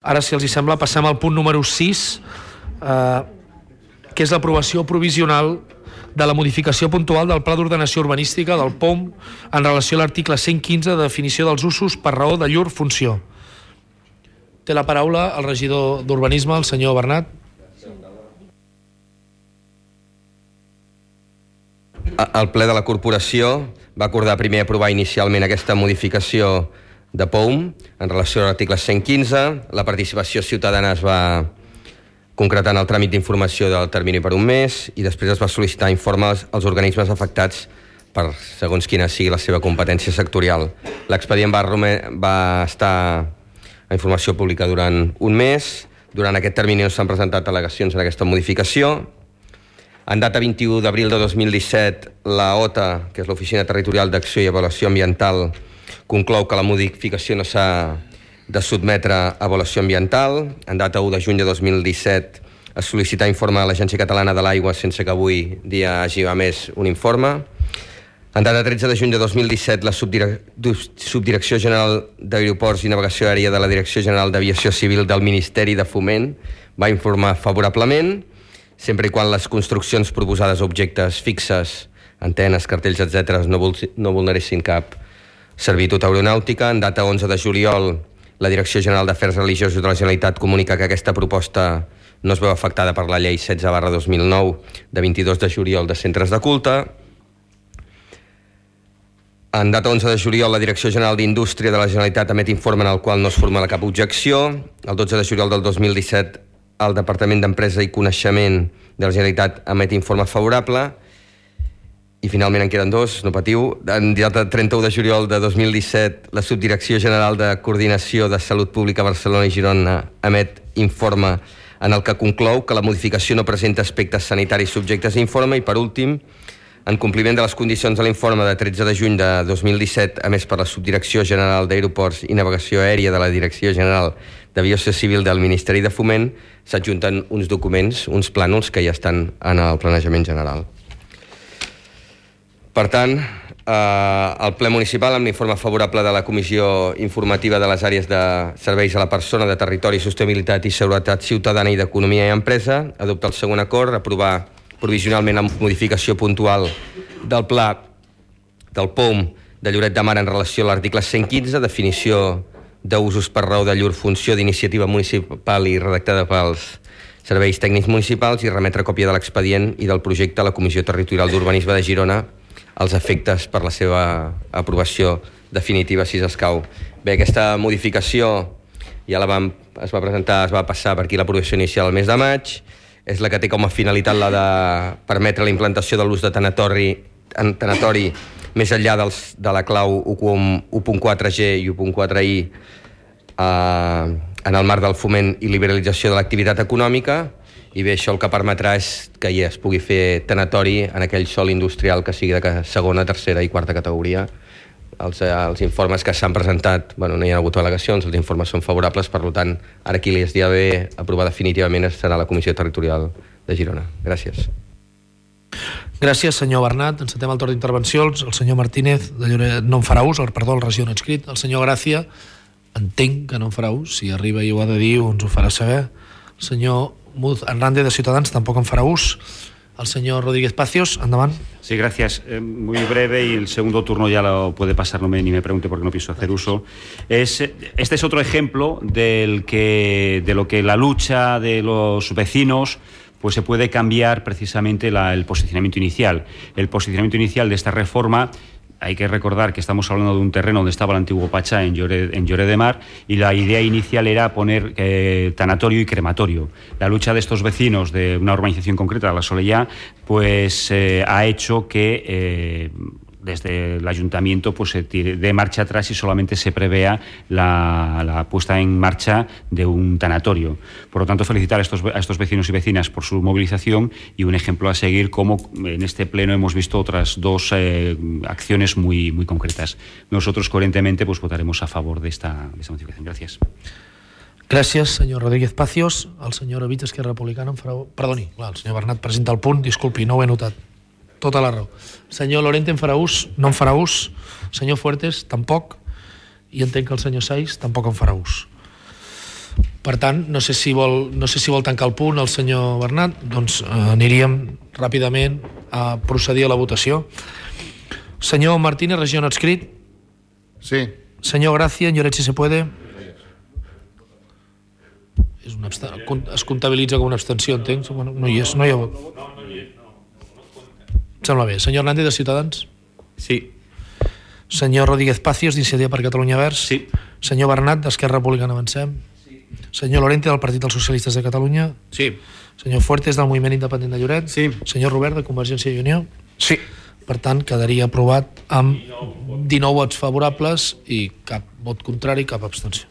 Ara, si els hi sembla, passem al punt número 6, que és l'aprovació provisional de la modificació puntual del Pla d'Ordenació Urbanística del POM en relació a l'article 115 de definició dels usos per raó de llur funció. Té la paraula el regidor d'Urbanisme, el senyor Bernat. El ple de la corporació va acordar primer aprovar inicialment aquesta modificació de POM en relació a l'article 115. La participació ciutadana es va concretar en el tràmit d'informació del termini per un mes i després es va sol·licitar informes als organismes afectats per segons quina sigui la seva competència sectorial. L'expedient va estar a informació pública durant un mes. Durant aquest termini no s'han presentat al·legacions en aquesta modificació. En data 21 d'abril de 2017, la OTA, que és l'Oficina Territorial d'Acció i Avaluació Ambiental, conclou que la modificació no s'ha de sotmetre a avaluació ambiental. En data 1 de juny de 2017 es sol·licita informe a l'Agència Catalana de l'Aigua sense que avui dia hagi emès un informe. En data 13 de juny de 2017 la Subdirecció General d'Aeroports i Navegació Aèria de la Direcció General d'Aviació Civil del Ministeri de Foment va informar favorablement, sempre i quan les construccions proposades a objectes fixes, antenes, cartells, etc., no vulneressin cap servitud aeronàutica. En data 11 de juliol, la Direcció General d'Afers Religiosos de la Generalitat comunica que aquesta proposta no es veu afectada per la llei 16/2009 de 22 de juliol de centres de culte. En data 11 de juliol, la Direcció General d'Indústria de la Generalitat emet informe en el qual no es formula cap objecció. El 12 de juliol del 2017, el Departament d'Empresa i Coneixement de la Generalitat emet informe favorable. I finalment en queden dos, no patiu. En data 31 de juliol de 2017, la Subdirecció General de Coordinació de Salut Pública Barcelona i Girona emet informe en el que conclou que la modificació no presenta aspectes sanitaris subjectes a informe. I per últim, en compliment de les condicions de l'informe de 13 de juny de 2017 emès per la Subdirecció General d'Aeroports i Navegació Aèria de la Direcció General d'Aviació Civil del Ministeri de Foment, s'adjunten uns documents, uns plànols que ja estan en el planejament general. Per tant, el ple municipal, amb l'informe favorable de la Comissió Informativa de les Àrees de Serveis a la Persona, de Territori, Sostenibilitat i Seguretat Ciutadana i d'Economia i Empresa, adopta el següent acord, aprovar provisionalment la modificació puntual del pla del POM de Lloret de Mar en relació a l'article 115, definició d'usos per raó de llur funció d'iniciativa municipal i redactada pels serveis tècnics municipals, i remetre còpia de l'expedient i del projecte a la Comissió Territorial d'Urbanisme de Girona als efectes per la seva aprovació definitiva, si s'escau. Bé, aquesta modificació ja es va presentar, es va passar per aquí l'aprovació inicial el mes de maig. És la que té com a finalitat la de permetre la implantació de l'ús de tanatori més enllà de la clau 1.4G i 1.4I en el marc del foment i liberalització de l'activitat econòmica. I bé, això el que permetrà és que ja es pugui fer tanatori en aquell sòl industrial que sigui de segona, tercera i quarta categoria. Els informes que s'han presentat, no hi ha hagut al·legacions, els informes són favorables, per tant, ara qui li es dia bé aprovar definitivament serà la Comissió Territorial de Girona. Gràcies. Gràcies, senyor Bernat. Encetem el torn d'intervencions. El senyor Martínez de Lloret no en farà ús, perdó, el regidor no inscrit. El senyor Gràcia, entenc que no en farà ús, si arriba i ho ha de dir ens ho farà saber. El senyor Muz Hernández de Ciutadans tampoc en farà ús. El señor Rodríguez Pacios, andamán. Sí, gracias. Muy breve, y el segundo turno ya lo puede pasar, ni me pregunte porque no pienso hacer uso. Este es otro ejemplo de lo que la lucha de los vecinos pues se puede cambiar precisamente el posicionamiento inicial. El posicionamiento inicial de esta reforma, hay que recordar que estamos hablando de un terreno donde estaba el antiguo Pachá, en Lloret de Mar, y la idea inicial era poner tanatorio y crematorio. La lucha de estos vecinos de una urbanización concreta, la Solellá, pues ha hecho que desde el ayuntamiento pues se tire de marcha atrás y solamente se prevea la puesta en marcha de un tanatorio. Por lo tanto, felicitar a estos vecinos y vecinas por su movilización, y un ejemplo a seguir como en este pleno hemos visto otras dos acciones muy, muy concretas. Nosotros coherentemente pues votaremos a favor de esta modificación. Gracias. Gràcies, senyor Rodríguez Pacios. El senyor Ovich, Esquerra Republicana, perdoni, el senyor Bernat presenta el punt, disculpi, no ho he notat. Tota la raó. Senyor Lorente en farà ús, no en farà ús. Senyor Fuertes, tampoc. I entenc que el senyor Saiz tampoc en farà ús. Per tant, no sé si vol tancar el punt el senyor Bernat, doncs aniríem ràpidament a procedir a la votació. Senyor Martínez, regió no adscrit. Sí. Senyor Gracia, Lloret, si se puede. Es comptabilitza com una abstenció, entenc. Bueno, no hi és, no hi ha vot. Sembla bé. Senyor Hernández, de Ciutadans. Sí. Senyor Rodríguez Pacios, d'Iniciativa per Catalunya Verds. Sí. Senyor Bernat, d'Esquerra Republicana Avancem. Sí. Senyor Lorente, del Partit dels Socialistes de Catalunya. Sí. Senyor Fuertes, del Moviment Independent de Lloret. Sí. Senyor Robert, de Convergència i Unió. Sí. Per tant, quedaria aprovat amb 19 vots favorables i cap vot contrari, cap abstenció.